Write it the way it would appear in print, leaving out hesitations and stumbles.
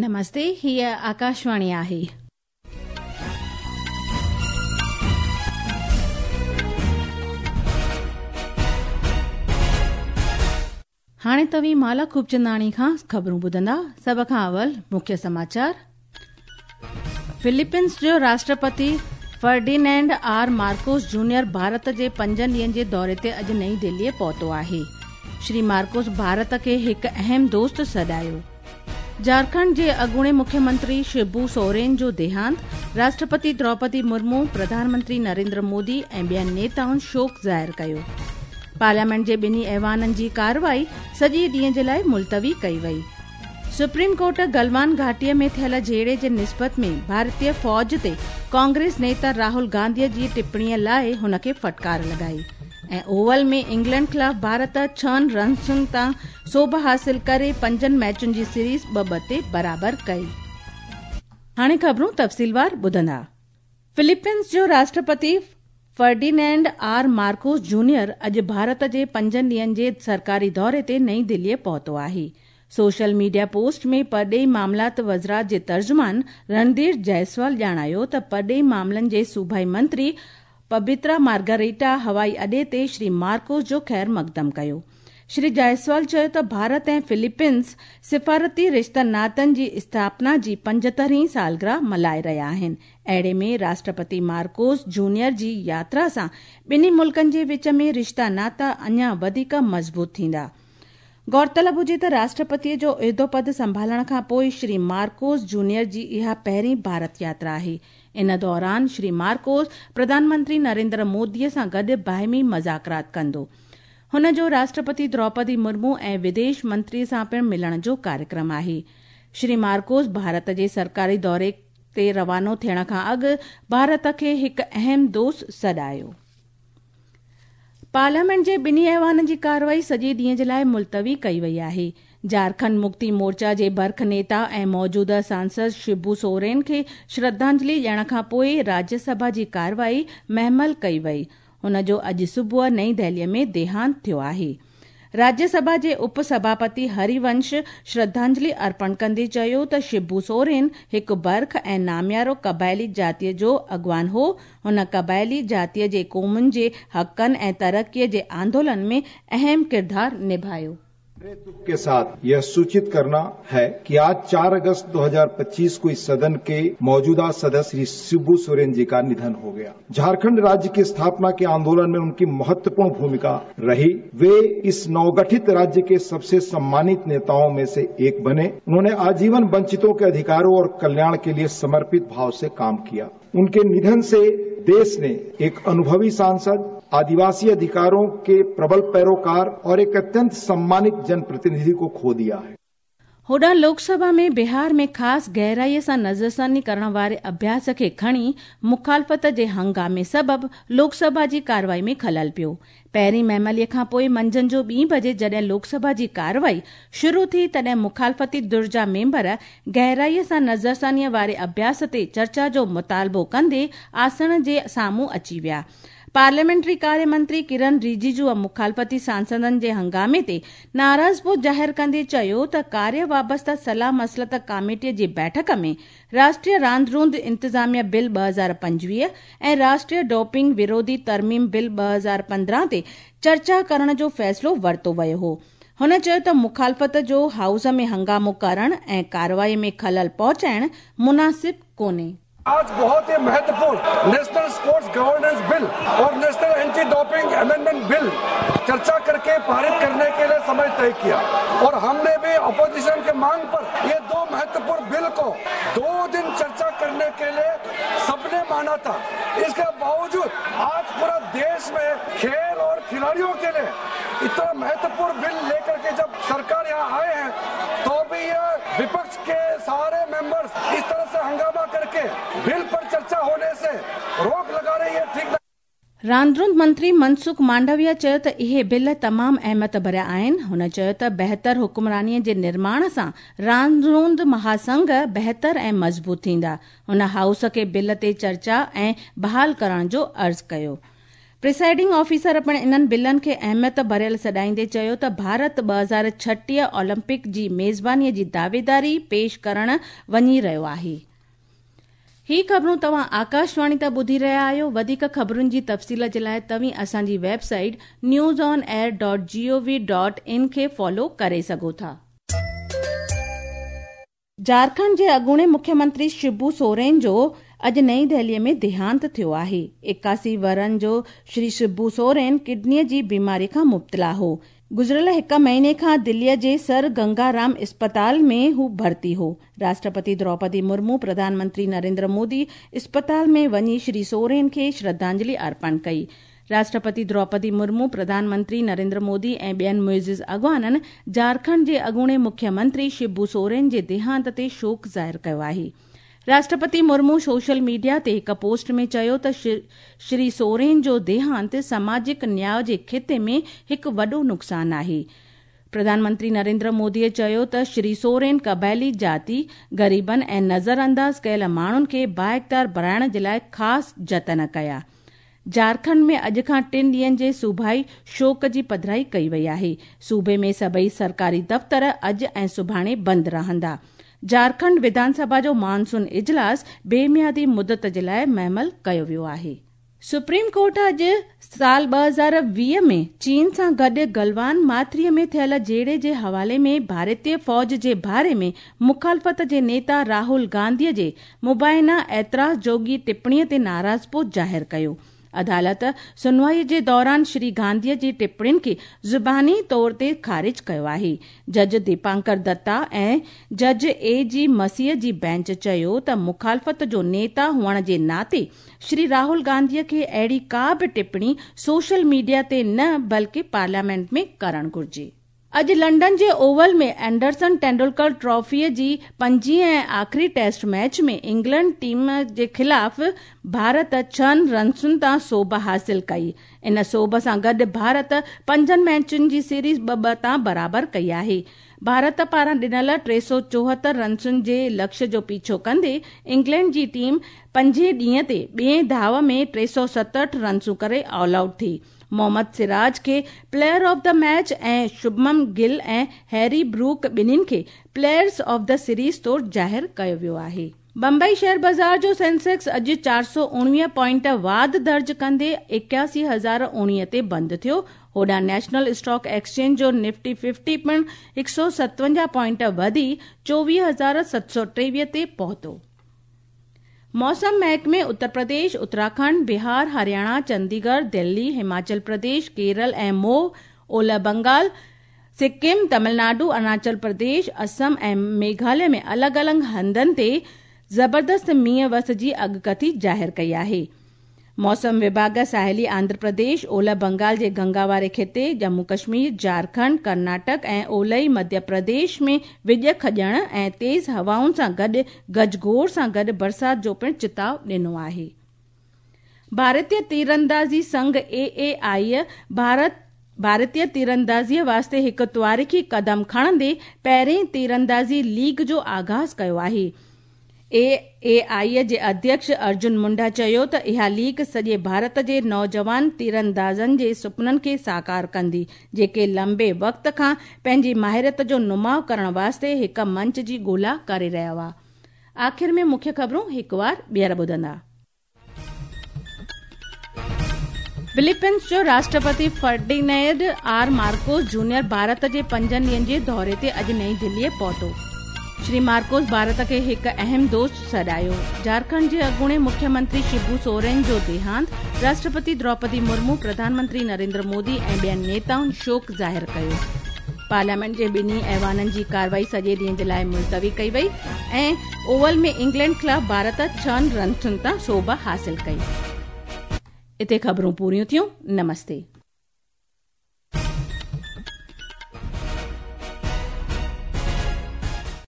نمستي هيء آڪاشواڻي آهي. هاڻي توهين مالا خوبچنداڻي کان خبرون ٻڌندا. سڀ کان اول مکيه سماچار. فلپينس جو راشٽرپتي Ferdinand R Marcos junior Bharat جي پنجن ڏينهن جي دوري تي اڄ نئين دهليء پهتو آهي. شري مارڪوس ڀارت کي هڪ اهم دوست سڏايو. جهارکنڊ جي اڳوڻي مکيه منتري شبو سورين جو ديهانت، راشٽرپتي دروپدي مرمو، پرڌان منتري نريندر مودي ۽ ٻين نيتائن شوڪ ظاهر ڪيو. پارليامينٽ جي ٻنهي ايوانن جي ڪارروائي سڄي ڏينهن جي لاء ملتوي ڪئي وئي. سپريم ڪورٽ گلوان گهاٽي ۾ ٿيل جهيڙي جي نسبت ۾ ڀارتي فوج تي ڪانگريس نيتا راهول گانڌي جي ٽپڻي لاء هن کي ڦٽڪار لڳائي. ۽ اوول ۾ انگلينڊ خلاف ڀارت ڇهن رنسن تان سوڀ حاصل ڪري پنجن ميچن جي سيريز ٻه ٻه تي برابر ڪئي. هاڻي خبرون تفصيلوار ٻڌندا. فلپينس جو راشٽرپتي فرڊينينڊ آر مارڪوس جونيئر اڄ ڀارت جي پنجن ڏينهن جي سرڪاري دوري تي نئين دهليء پهتو آهي. سوشل ميڊيا پوسٽ ۾ پرڏيهي معاملات وزارت جي ترجمان رڻڌير جئسوال ڄاڻايو ته پرڏيهي معاملن جي صوبائي منتري پبترا مارگريٽا هوائي اڏي تي شري مارڪوس جو خير مقدم ڪيو. شري جائسوال چيو ته ڀارت ۽ فلپينز سفارتي رشتن ناتن جي اسٿاپنا جي پنجهترهين سالگرهه ملهائي رهيا آهن، اهڙي ۾ راشٽرپتي مارڪوس جونيئر جي ياترا سان ٻنهي ملڪن جي وچ ۾ رشتا ناتا اڃا وڌيڪ مضبوط ٿيندا. غور طلب هجي ته راشٽرپتيء جو عهدو پد سنڀالڻ کان پوء شري مارڪوس جونيئر جي اها پهرين ڀارت ياترا آهي. ان دوران شري مارڪوس پرڌان منتري نريندر موديء سان گڏ باهمي مذاڪرات ڪندو. هن جو راشٽرپتي دروپدي مرمو ۽ وديش منتري سان پڻ ملڻ جو ڪاريڪرم آهي. شري مارڪوس ڀارت جي سرڪاري دوري تي روانو ٿيڻ کان اڳ ڀارت کي هڪ اهم دوست سڏايو. پارليامينٽ جي ٻنهي ايوانن جي ڪارروائي سڄي ڏينهن جي لاء ملتوي ڪئي وئي آهي. جهارکنڊ مڪتي مورچا جي برک نيتا ۽ موجوده سانسد شبو سورين کي شرڌانجلي ڏيڻ کانپوء راجيه سڀا جي ڪارروائي مهمل ڪئي وئي. هن جو اڄ صبح نئين دهلي ۾ ديهانت ٿيو آهي. راجيه سڀا جي اپ سڀاپتي هري ونش شرڌانجلي ارپڻ ڪندي چيو ته شبو سورين هڪ برک ۽ ناميارو قبائلي جاتيء جو اڳواڻ هو، هن قبائلي جاتيء جي قومن جي حقن ۽ ترقيء جي آندولن ۾ اهم ڪردار نڀايو. बड़े दुख के साथ यह सूचित करना है कि आज 4 अगस्त 2025 को इस सदन के मौजूदा सदस्य श्री शिबू सोरेन जी का निधन हो गया। झारखंड राज्य की स्थापना के आंदोलन में उनकी महत्वपूर्ण भूमिका रही। वे इस नवगठित राज्य के सबसे सम्मानित नेताओं में से एक बने। उन्होंने आजीवन वंचितों के अधिकारों और कल्याण के लिए समर्पित भाव से काम किया। उनके निधन से देश ने एक अनुभवी सांसद, आदिवासी अधिकारों के प्रबल पैरोकार और एक अत्यंत सम्मानित जनप्रतिनिधि को खो दिया है। होॾांहुं लोकसभा ۾ بهار ۾ خاص گهرائيء سان نظرثاني ڪرڻ واري اڀياس کي کڻي مخالفت جي هنگامي سبب لوڪسڀا جي ڪارروائي ۾ خلل پيو. پهرين مهمليء کان پوء منجهند جو ٻين بجي جڏهن لوڪسڀا جي ڪارروائي شروع ٿي تڏهن مخالفتي ڌر جا ميمبر گهرائيء سان نظرثانيء واري اڀياس تي چرچا جو مطالبو ڪندي آسڻ جي سامهون اچي ويا. پارليامينٽري ڪاري منتري ڪرن رجيجوء مخالفتي سانسدن جي هنگامي تي ناراضپو ظاهر ڪندي چيو ته ڪاريه وابسته صلاح مصلحت ڪاميٽي جي بيٺڪ ۾ راشٽريه راند روند انتظاميه بل 2025 ۽ راشٽريه ڊوپنگ وروڌي ترميم بل 2015 تي چرچا ڪرڻ جو فيصلو ورتو ويو هو. هن چيو ته مخالفت جو هائوس ۾ هنگامو ڪرڻ ۽ ڪارروائي ۾ خلل پهچائڻ مناسب ڪونهي. आज बहुत ही महत्वपूर्ण नेशनल स्पोर्ट्स गवर्नेंस बिल और national anti doping amendment bill चर्चा करके पारित करने के लिए समय तय किया और हमने भी अपोजिशन के मांग पर ये दो महत्वपूर्ण बिल को 2 दिन चर्चा करने के लिए सबने माना था। इसके बावजूद आज पूरा देश में खेल और खिलाड़ियों के लिए इतना महत्वपूर्ण बिल लेकर के जब सरकार यहाँ आए हैं तो भी ये विपक्ष के सारे मेंबर्स इस तरह से हंगामा करके बिल पर चर्चा होने से रोक लगा रही है, ठीक नहीं। रांदरुंद मंत्री मनसुख मांडविया चयो त इहे बिल तमाम अहमियत भरिया आहिनि। हुन चयो त बहितर हुकुमरानीअ जे निर्माण सां रांदरुंद महासंघ बहितर ऐं मज़बूत थींदा। हुन हाउस खे बिल ते चर्चा ऐं बहाल करण जो अर्ज़ कयो। پرسائيڊنگ آفيسر پڻ انهن بلن کي اهميت ڀريل سڏائيندي چيو ته ڀارت 2036 اولمپڪ جي ميزباني جي دعويداري پيش ڪرڻ وڃي رهيو آهي. هي خبرون توهان آڪاشواڻي تان ٻڌي رهيا آهيو. وڌيڪ خبرن جي تفصيل جي لاء توهين اسان جي website news on air dot G O V dot in کي فالو ڪري سگهو ٿا. جهارکنڊ جي اڳوڻي مکيه منتري شبو سورين جو اڄ نئين دهلي ۾ ديهانت ٿيو آهي. 81 ورهن جو شري شبو سورين ڪڊني جي بيماري کان مبتلا هو. گذريل هڪ مهيني کان دلي جي سر گنگا رام اسپتال ۾ هو ڀرتي هو. راشٽرپتي دروپدي مرمو، پرڌان منتري نريندر مودي اسپتال ۾ وڃي شري سورين کي شرڌانجلي ارپڻ ڪئي. راشٽرپتي دروپدي مرمو، پرڌان منتري نريندر مودي ۽ ٻين معزز اڳواڻن جهارکنڊ جي اڳوڻي مکيه منتري شبو سورين جي ديهانت تي شوڪ ظاهر ڪيو آهي. راشٽرپتي مرمو سوشل ميڊيا تي هڪ پوسٽ ۾ چيو ته شري سورين جو ديهانت سماجڪ نياء جي خطي ۾ هڪ وڏو نقصان آهي. پرڌان منتري نريندر مودي چيو ته شري سورين قبائلي جاتي، غريبن ۽ نظرانداز ڪيل ماڻهن کي بااختيار بڻائڻ جي لاء خاص جتن ڪيا. جهارکنڊ ۾ اڄ کان ٽن ڏينهن جي صوبائي شوڪ جي پڌرائي ڪئي وئي آهي. صوبي ۾ سڀئي سرڪاري دفتر اڄ ۽ سڀاڻي بند رهندا. جهارکنڊ وڌان سڀا جو مانسون اجلاس بي ميعادي مدت جي لاء مهمل ڪيو ويو آهي. سپريم ڪورٽ اڄ سال 2020 ۾ چين سان گڏ گلوان ماٿري ۾ ٿيل جهيڙي جي حوالي ۾ ڀارتي فوج جي باري ۾ مخالفت جي نيتا راهول گانڌي جي مبينا اعتراض جوڳي ٽپڻي تي ناراضپو ظاهر ڪيو. عدالت سنوائي جي دوران شري گانڌي جي ٽپڻين کي زباني طور تي خارج ڪيو آهي. جج ديپانڪر دتا ۽ جج اي جي مسيح جي بينچ چيو ته مخالفت جو نيتا هئڻ جي ناتي شري راهول گانڌي کي اهڙي ڪا به ٽپڻي سوشل ميڊيا تي نه بلڪه پارليامينٽ ۾ ڪرڻ گهرجي. اڄ لنڊن جي اوول ۾ اينڊرسن ٽينڊولڪر ٽرافي جي پنجين ۽ آخري ٽيسٽ ميچ ۾ انگلينڊ ٽيم جي خلاف ڀارت 6 رنسن تان سوڀ حاصل ڪئي. ان سوڀ سان گڏ ڀارت 5 ميچن جي سيريز 2-2 تان برابر ڪئي آهي. ڀارت پاران ڏنل 374 رنسن جي لڪشيه جو پيڇو ڪندي انگلينڊ جي ٽيم پنجين ڏينهن تي ٻئين ڌاء ۾ 367 رنسون ڪري آل آئوٽ ٿي. محمد سراج کي player of the match ۽ Shubman Gill ۽ Harry Brook ٻنهين کي پليئرز آف the series طور ظاهر ڪيو ويو آهي. بمبئي شيئر بازار جو سينسيڪس اڄ 419 پوائنٽ واڌ درج ڪندي 81,019 تي بند ٿيو. هوڏانهن نيشنل اسٽاڪ ايڪسچينج جو نفٽي 50 پڻ 157 پوائنٽ وڌي 24,723 تي پهتو. موسم محڪمي اتر پرديش، اتراکنڊ، بهار، هرياڻا، چنديڳڙهه، دلي، هماچل پرديش، ڪيرل ۽ موهه، اولهه بنگال، سڪم، تمل ناڊو، اروناچل پرديش، اسم ۽ ميگهاليه ۾ الڳ الڳ هنڌن تي زبردست مينهن وس جي اڳڪٿي ظاهر ڪئي آهي. موسم وڀاڳ ساحلي آنڌرا پرديش، اولهه بنگال جي گنگا واري خطي، ڄمون ڪشمير، جهارکنڊ، ڪرناٽڪ ۽ اولهي مڌيه پرديش ۾ وڄ کڄڻ ۽ تيز هوائن سان گڏ گجگوڙ سان گڏ برسات جو پڻ چتاء ڏنو آهي. ڀارتيه تيراندازي سنگهه اي اي آء ڀارت ڀارتيه تيراندازي واسطي هڪ تواريخي قدم کڻندي پهرين تيراندازي ليگ جو آغاز ڪيو آهي. اي اي آء جي اڌيڪش ارجن منڊا چيو ته اها ليگ سڄي ڀارت جي نوجوان تيراندازن جي سپنن کي ساڪار ڪندي، جيڪي لمبي وقت کان پنهنجي مهارت جو نماء ڪرڻ واسطي هڪ منچ جي ڳولا ڪري رهيا هئا. آخر ۾ مکيه خبرون هڪ وار ٻيهر ٻڌندا. فلپينز جو راشٽرپتي Ferdinand R Marcos junior Bharat جي 5 ڏينهن جي دوري تي اڄ نئين دهلي پهتو. شري مارڪوس ڀارت کي هڪ اهم دوست سڏايو. جهارکنڊ جي اڳوڻي مکيه منتري شبو سورين جو ديهانت، راشٽرپتي دروپدي مرمو، پرڌان منتري نريندر مودي ۽ ٻين نيتائن شوڪ ظاهر ڪيو. پارليامينٽ جي ٻنهي ايوانن جي ڪارروائي سڄي ڏينهن جي لاء ملتوي ڪئي وئي ۽ اوول ۾ انگلينڊ خلاف ڀارت 6 رنسن تان سوڀ حاصل ڪئي. اتي خبرون پوريون ٿيون. نمستي.